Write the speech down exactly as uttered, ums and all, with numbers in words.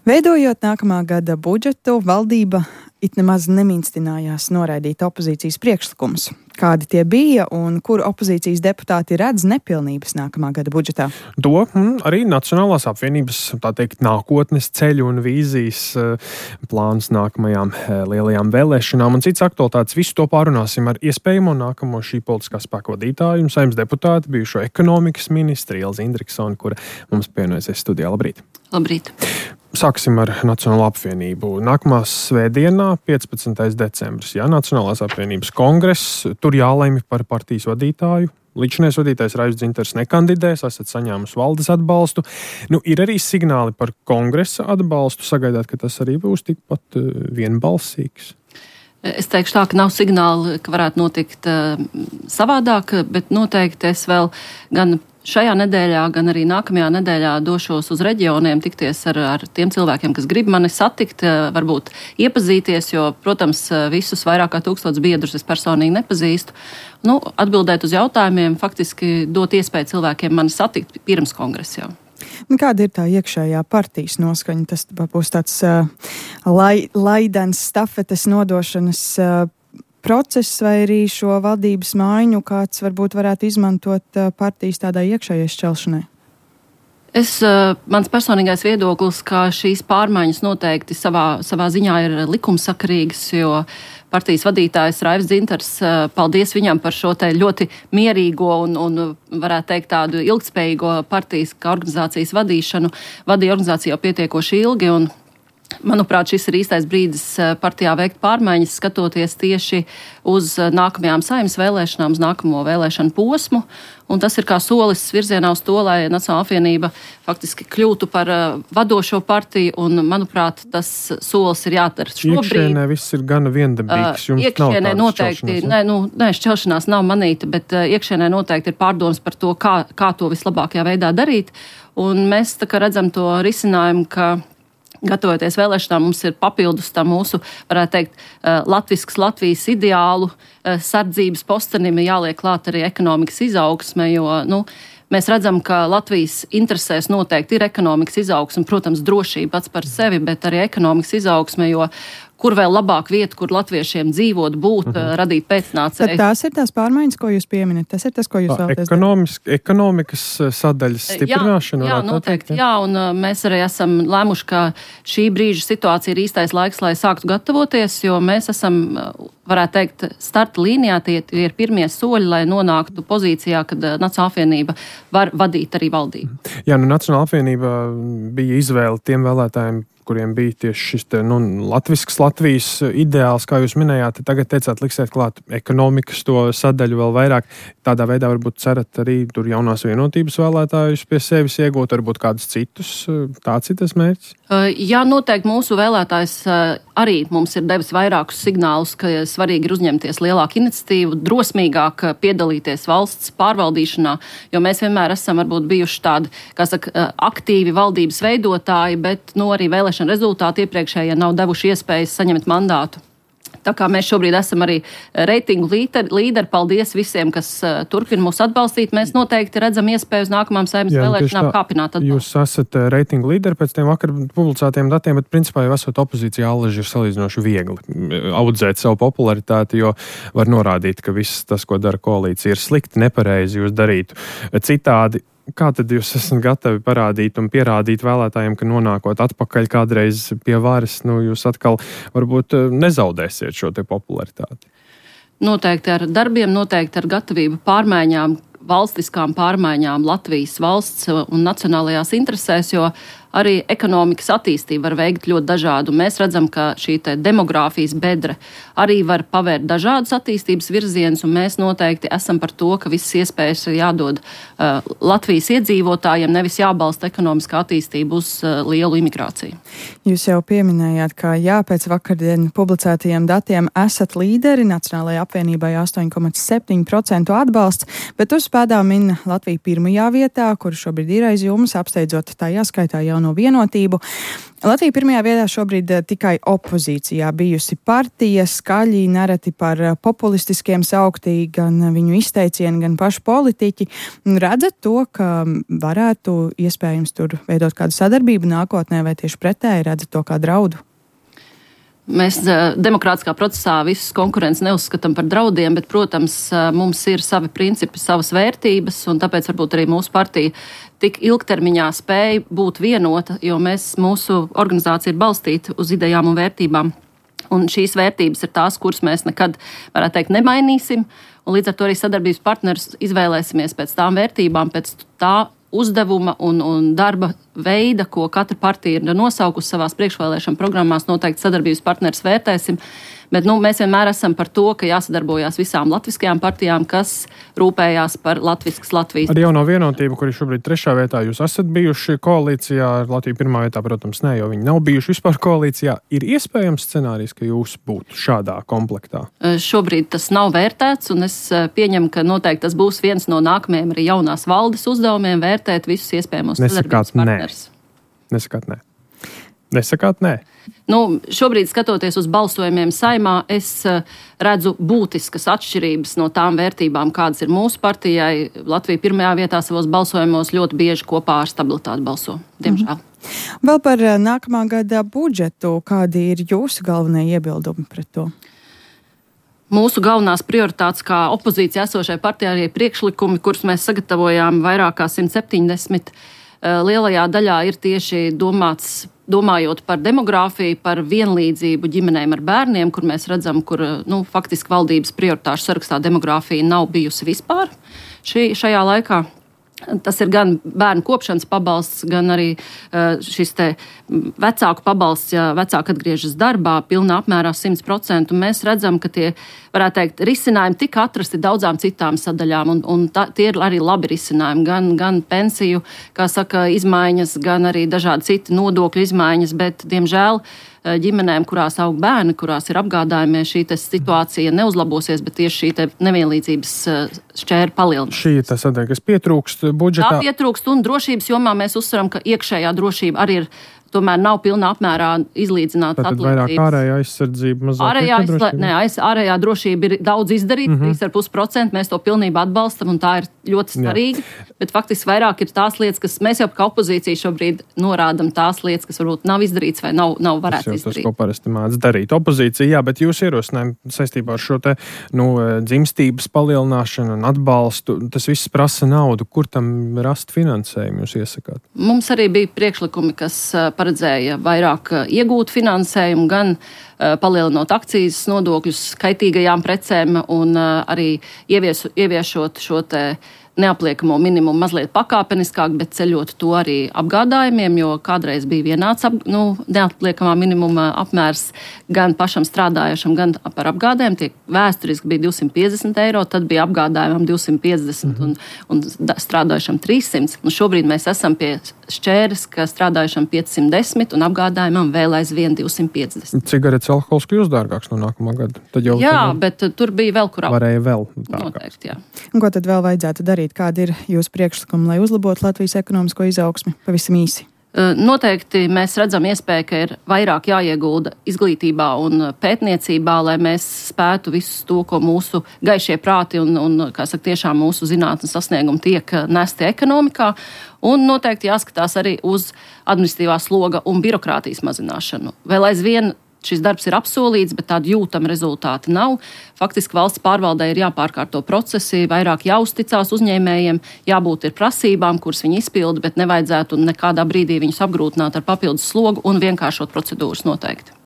Veidojot nākamā gada budžetu, valdība it nemaz nemīnstinājās noraidīt opozīcijas priekšlikumus. Kādi tie bija un kur opozīcijas deputāti redz nepilnības nākamā gada budžetā? To mm, arī Nacionālās apvienības, tā teikt, nākotnes ceļu un vīzijas plāns nākamajām lielajām vēlēšanām un cits aktualitātes. Visu to pārunāsim ar iespējamo nākamo šī politiskā spēka vadītāju un Saeimas deputāti, bijušo ekonomikas ministri Ilzi Indriksoni, kura mums pievienojusies studijā. Labrīt! Labrīt! Sāksim ar Nacionālo apvienību. Nākamā svētdienā, piecpadsmitais decembris, jā, Nacionālās apvienības kongress, tur jālemj par partijas vadītāju. Līdzinājais vadītājs Raivs Dzintars nekandidēs, esat saņēmusi valdes atbalstu. Nu, ir arī signāli par kongresa atbalstu, sagaidāt, ka tas arī būs tikpat vienbalsīgs. Es teikšu tā, ka nav signāli, ka varētu notikt uh, savādāk, bet noteikti es vēl gan šajā nedēļā, gan arī nākamajā nedēļā došos uz reģioniem tikties ar, ar tiem cilvēkiem, kas grib mani satikt, varbūt iepazīties, jo, protams, visus vairāk kā tūkstotus biedrus es personīgi nepazīstu. Nu, atbildēt uz jautājumiem, faktiski dot iespēju cilvēkiem mani satikt pirms kongresa jau. Kāda ir tā iekšējā partijas noskaņa? Tas būs tāds uh, lai, laidens stafetes nodošanas uh, process vai arī šo valdības maiņu, kāds varbūt varētu izmantot partijas tādai iekšējai šķelšanai? Es, mans personīgais viedoklis, ka šīs pārmaiņas noteikti savā, savā ziņā ir likumsakarīgas, jo partijas vadītājs Raivs Dzintars, paldies viņam par šo te ļoti mierīgo un, un varētu teikt tādu ilgtspējīgo partijas kā organizācijas vadīšanu, vadīja organizāciju jau pietiekoši ilgi un manuprāt, šis ir īstais brīdis partijā veikt pārmaiņas, skatoties tieši uz nākamajām Saeimas vēlēšanām, uz nākamo vēlēšanu posmu. Un tas ir kā solis virzienā uz to, lai Nacionālā apvienība faktiski kļūtu par vadošo partiju. Un, manuprāt, tas solis ir jādara šobrīd. Iekšienē viss ir gana viendabīgs. Jums iekšienē nav noteikti, ne, nu, ne, šķelšanās nav manīta, bet iekšienē noteikti ir pārdomas par to, kā, kā to vislabākajā veidā darīt. Un mēs tā kā redzam to risinājumu, ka gatavoties vēlēšanām, mums ir papildus tā mūsu, varētu teikt, latviskas Latvijas ideālu sardzības postenim jāliek klāt arī ekonomikas izaugsme, jo, nu, mēs redzam, ka Latvijas interesēs noteikti ir ekonomikas izaugsme, protams, drošība pats par sevi, bet arī ekonomikas izaugsme, jo kur vēl labāk vieta, kur latviešiem dzīvot, būt, mhm. radīt pēcnācēju. Tad tās ir tās pārmaiņas, ko jūs pieminat? Tas ir tas, ko jūs vēlaties darīt? Ekonomikas sadaļas stiprināšana? Jā, jā noteikti. Teikt, jā, un uh, mēs arī esam lēmuši, ka šī brīža situācija ir īstais laiks, lai sāktu gatavoties, jo mēs esam, uh, varētu teikt, starta līnijā, tie ir pirmie soļi, lai nonāktu pozīcijā, kad uh, Nacionālā apvienība var vadīt arī valdību. Jā, nu Nacionālā apvienība bija izvēle tiem vēlētājiem, kuriem bija tieši šis te, nu, latvisks Latvijas ideāls, kā jūs minējāt, tagad teicāt, liksiet klāt ekonomikas to sadaļu vēl vairāk. Tādā veidā varbūt cerat arī tur jaunās vienotības vēlētājus pie sevis iegūt, varbūt kādus citus. Tāds ir tas mērķis? Jā, noteikti mūsu vēlētājs arī mums ir devis vairākus signālus, ka svarīgi ir uzņemties lielāku iniciatīvu, drosmīgāk piedalīties valsts pārvaldīšanā, jo mēs vienmēr esam varbūt bijuši tādi, kā saka, aktīvi valdības veidotāji, bet, nu, arī vēlēšana rezultāti iepriekšējie nav devuši iespējas saņemt mandātu. Tā kā mēs šobrīd esam arī reitingu līderi, līderi, paldies visiem, kas uh, turpina mūs atbalstīt. Mēs noteikti redzam iespēju uz nākamām Saeimas vēlēšanām kāpināt atbalstu. Jūs esat reitingu līderi pēc tiem vakar publicētiem datiem, bet principā jau esat opozīcijā, allaži ir salīdzinoši viegli audzēt savu popularitāti, jo var norādīt, ka viss tas, ko dara koalīcija, ir slikti, nepareizi, jūs darītu citādi. Kā tad jūs esat gatavi parādīt un pierādīt vēlētājiem, ka nonākot atpakaļ kādreiz pie varas, nu, jūs atkal varbūt nezaudēsiet šo te popularitāti? Noteikti ar darbiem, noteikti ar gatavību pārmaiņām, valstiskām pārmaiņām Latvijas valsts un nacionālajās interesēs, jo arī ekonomikas attīstība var veikt ļoti dažādu. Mēs redzam, ka šī te demogrāfijas bedre arī var pavērt dažādus attīstības virzienus, un mēs noteikti esam par to, ka visas iespējas ir jādod uh, Latvijas iedzīvotājiem, nevis jābalsta ekonomiskā attīstība uz uh, lielu imigrāciju. Jūs jau pieminējāt, ka jā, pēc vakardien publicētajiem datiem esat līderi, Nacionālajai apvienībai astoņi komats septiņi procenti atbalsts, bet uz pēdām min Latviju pirmajā vietā, kur šobrīd ir aiz jums, apsteidzot tajā skaitā jaunu jauno vienotību. Latvija pirmajā vietā šobrīd tikai opozīcijā bijusi partija, skaļi nereti par populistiskiem sauktī gan viņu izteicieni, gan paši politiķi. Redzat to, ka varētu iespējams tur veidot kādu sadarbību nākotnē, vai tieši pretēji redzat to kā draudu? Mēs demokrātiskā procesā visus konkurences neuzskatām par draudiem, bet, protams, mums ir savi principi, savas vērtības, un tāpēc varbūt arī mūsu partija tik ilgtermiņā spēja būt vienota, jo mēs, mūsu organizācija ir balstīta uz idejām un vērtībām. Un šīs vērtības ir tās, kuras mēs nekad, varētu teikt, nemainīsim, un līdz ar to arī sadarbības partnerus izvēlēsimies pēc tām vērtībām, pēc tā uzdevuma un, un darba veida, ko katra partija ir nosaukusi savās priekšvēlēšana programmās, noteikti sadarbības partneris vērtēsim. Bet nu, mēs vienmēr esam par to, ka jāsadarbojās visām latviskajām partijām, kas rūpējās par latviskas Latvijas. Ar jauno vienotību, kuri šobrīd trešā vietā, jūs esat bijuši koalīcijā, ar Latviju pirmā vietā, protams, ne, jo viņi nav bijuši vispār koalīcijā. Ir iespējams scenārijs, ka jūs būtu šādā komplektā? Šobrīd tas nav vērtēts, un es pieņemu, ka noteikti tas būs viens no nākamajiem arī jaunās valdes uzdevumiem vērtēt visus iespējamos sadarbības partnerus. Nesakāt nē. Nesakāt nē. Nu, šobrīd, skatoties uz balsojumiem Saeimā, es redzu būtiskas atšķirības no tām vērtībām, kādas ir mūsu partijai. Latvija pirmajā vietā savos balsojumos ļoti bieži kopā ar stabilitāti balso, diemžēl. Mm-hmm. Vēl par nākamā gada budžetu. Kādi ir jūsu galvenie iebildumi pret to? Mūsu galvenās prioritātes kā opozīcija esošai partijai ir priekšlikumi, kurus mēs sagatavojām vairāk kā simt septiņdesmit. Lielajā daļā ir tieši domāts, domājot par demogrāfiju, par vienlīdzību ģimenēm ar bērniem, kur mēs redzam, kur nu, faktiski valdības prioritāšu sarakstā demogrāfija nav bijusi vispār šī, šajā laikā. Tas ir gan bērnu kopšanas pabalsts, gan arī šis te vecāku pabalsts, ja vecāki atgriežas darbā, pilnā apmērā simt procenti. Mēs redzam, ka tie, varētu teikt, risinājumi tika atrasti daudzām citām sadaļām, un, un tā, tie ir arī labi risinājumi. Gan, gan pensiju, kā saka, izmaiņas, gan arī dažādi citi nodokļu izmaiņas, bet, diemžēl, ģimenēm, kurās aug bērni, kurās ir apgādājumie, šī situācija neuzlabosies, bet tieši šī nevienlīdzības šķēra palielinās. Šī ir tā sadaļa, kas pietrūkst budžetā. Tā pietrūkst, un drošības jomā mēs uzsveram, ka iekšējā drošība arī ir tomēr nav pilnā apmērā izlīdzināta atlīdzības. Tad vairāk ārējā aizsardzība, mazāk ārējā, drošība? Nē, aiz, ārējā drošība ir daudz izdarīta, mm -hmm. trīs komats pieci procenti, mēs to pilnībā atbalstam, un tā ir ļoti svarīga. Jā. Bet faktiski vairāk ir tās lietas, kas mēs jau kā opozīcija šobrīd norādam tās lietas, kas varbūt nav izdarītas vai nav, nav varētu tas izdarīt. Tas, ko parasti mēdz darīt opozīcija, jā, bet jūs ierosinājumi saistībā ar šo te, nu, dzimstības palielināšanu un atbalstu, tas viss prasa naudu. Kur tam rast finansējumu jūs iesakāt? Mums arī bija priekšlikumi, kas paredzēja vairāk iegūt finansējumu, gan uh, palielinot akcijas nodokļus kaitīgajām precēm un uh, arī ievies, ieviešot šo te neapliekamo minimumu mazliet pakāpeniskāk, bet ceļot to arī apgādājumiem, jo kādreiz bija vienāds ap, nu, neapliekamā minimuma apmērs gan pašam strādājošam, gan par apgādēm. Tiek vēsturiski bija divsimt piecdesmit eiro, tad bija apgādājumam divsimt piecdesmit mm-hmm. un, un strādājošam trīssimts. Un šobrīd mēs esam pie šķēres, ka strādājošam piecsimt desmit un apgādājumam vēl aizvien divsimt piecdesmit. Cigaretes alkohols kļūst dārgāks no nākamā gada? Tad jau jā, tad bet tur bija vēl kur ap. Varēja vēl dārgāks. Noteikti, jā. Un ko tad vēl vajadzētu darīt? Kādi ir jūsu priekšlikumi, lai uzlabotu Latvijas ekonomisko izaugsmi? Pavisam īsi. Noteikti mēs redzam iespēju, ka ir vairāk jāiegulda izglītībā un pētniecībā, lai mēs spētu visu to, ko mūsu gaišie prāti un, un kā saka, tiešām mūsu zinātnes sasniegumi tiek nesti ekonomikā. Un noteikti jāskatās arī uz administratīvā sloga un birokrātijas mazināšanu. Vēl aizvien šis darbs ir apsolīts, bet tādu jūtamu rezultātu nav. Faktiski valsts pārvaldē ir jāpārkārto procesi, vairāk jāuzticās uzņēmējiem, jābūt ir prasībām, kuras viņi izpilda, bet nevajadzētu nekādā brīdī viņus apgrūtināt ar papildus slogu un vienkāršot procedūras noteikti.